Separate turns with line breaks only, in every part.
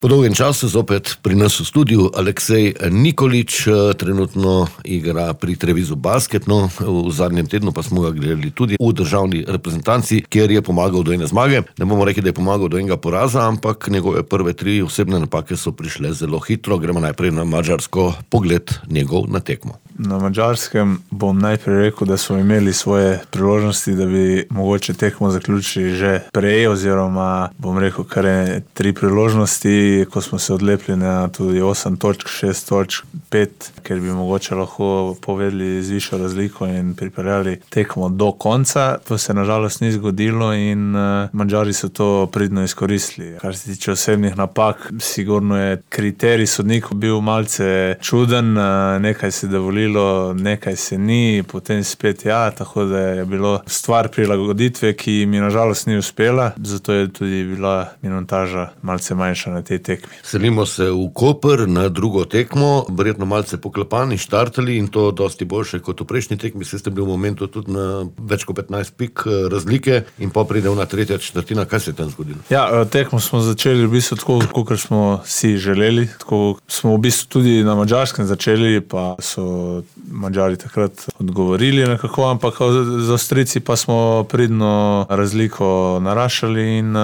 Po dolgem času zopet pri nas v studiu Aleksej Nikolić, trenutno igra pri Trevizu basket, v zadnjem tednu pa smo ga gledali tudi v državni reprezentanci, kjer je pomagal do ene zmage. Ne bomo rekli, da je pomagal do enega poraza, ampak njegove prve 3 osebne napake so prišle zelo hitro. Gremo najprej na Madžarsko, pogled njegov na tekmo.
Na Madžarskem bom najprej rekel, da smo imeli svoje priložnosti, da bi mogoče tekmo zaključili že prej, oziroma bom rekel, kar je 3 priložnosti, ko smo se odlepili na tudi 8 točk, 6 točk, 5, ker bi mogoče lahko povedali z višjo razliko in pripeljali tekmo do konca. To se nažalost ni zgodilo in Madžari so to pridno izkoristili. Kar se tiče osebnih napak, sigurno je kriterij sodnikov bil malce čuden, nekaj se dovolilo, nekaj se ni, potem spet tako da je bilo stvar prilagoditve, ki mi nažalost ni uspela, zato je tudi bila minutaža malce manjša na tej tekmi.
Selimo se v Koper na drugo tekmo, verjetno malce poklepani, štartali in to dosti boljše kot v prejšnji tekmi, saj ste bili v momentu tudi na več kot 15 pik razlike in pa pride na tretja četrtina. Kaj se je tam zgodilo?
Tekmo smo začeli v bistvu tako, kakor smo si želeli, tako smo v bistvu tudi na Madžarskem začeli, pa so Madžari takrat odgovorili nekako, ampak z Avstrijci pa smo pridno razliko naraščali in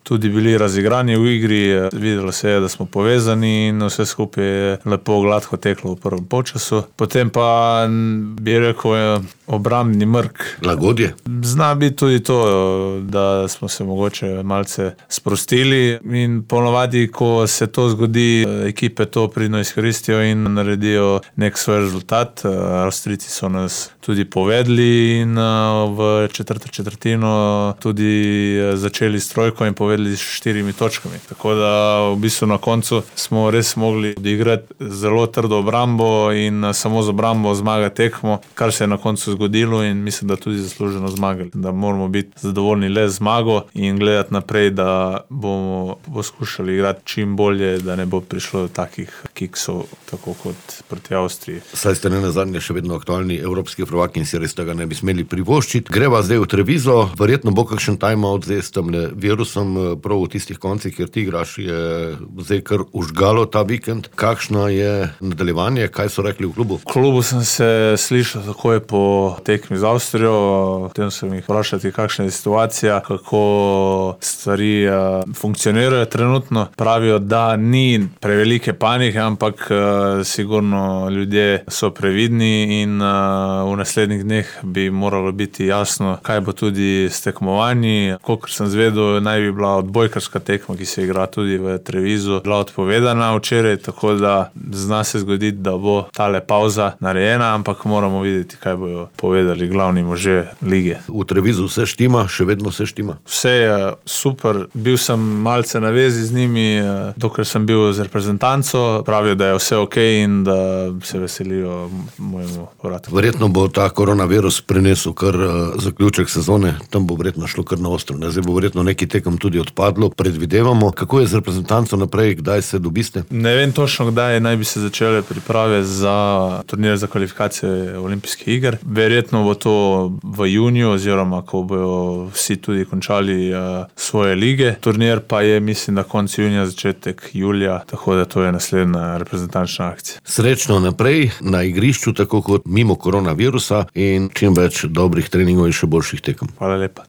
tudi bili razigrani v igri. Videlo se je, da smo povezani in vse skupaj je lepo gladko teklo v prvem polčasu. Potem pa bi rekel obrambni mrk.
Lagodje?
Zna biti tudi to, da smo se mogoče malce sprostili in ponovadi, ko se to zgodi, ekipe to pridno izkoristijo in naredijo nek svoj rezultat. Avstrijci so nas tudi povedli in v četrto četrtino tudi začeli s trojko in povedli s 4 točkami. Tako da v bistvu na koncu smo res mogli odigrati zelo trdo obrambo in samo z obrambo zmagati tekmo, kar se je na koncu zgodilo in mislim, da tudi zasluženo zmagali. Da moramo biti zadovoljni le z zmago in gledati naprej, da bomo poskušali igrati čim bolje, da ne bo prišlo do takih kiksov, tako kot proti Avstriji.
Saj ste ne nazadnje še vedno aktualni evropski prvaki in si res tega ne bi smeli privoščiti. Greva zdaj v Trevizo, verjetno bo kakšen timeout zdaj s tem virusom, prav v tistih koncih, kjer ti igraš, je zdaj kar užgalo ta vikend. Kakšno je nadaljevanje, kaj so rekli v klubu?
V klubu sem se slišal takoj po tekmi z Avstrijo, potem sem jih vprašati, kakšna je situacija, kako stvari funkcionirajo trenutno. Pravijo, da ni prevelike panike, ampak sigurno ljudje so previdni in v naslednjih dneh bi moralo biti jasno, kaj bo tudi s tekmovanji. Kolikor sem zvedel, naj bi bila odbojkarska tekma, ki se igra tudi v Trevizu, bila odpovedana včeraj, tako da zna se zgoditi, da bo tale pauza narejena, ampak moramo videti, kaj bojo povedali glavni možje lige.
V Trevizu vse štima, še vedno vse štima?
Vse je super, bil sem malce na vezi z njimi, dokler sem bil z reprezentanco, pravijo, da je vse okej in da se veselijo mojemu povratu.
Verjetno bo ta koronavirus prinesel kar zaključek sezone, tam bo verjetno šlo kar na ostro. Zdaj bo verjetno neki tekem tudi odpadlo, predvidevamo. Kako je z reprezentanco naprej, kdaj se dobiste?
Ne vem točno, kdaj naj bi se začele priprave za turnir za kvalifikacije olimpijskih iger. Verjetno bo to v juniju, oziroma ko bojo vsi tudi končali svoje lige. Turnir pa je, mislim, da konec junija, začetek julija, tako da to je naslednja reprezentančna akcija.
Srečno naprej na igrišču, tako kot mimo koronavirusa in čim več dobrih treningov in še boljših tekem.
Hvala lepa.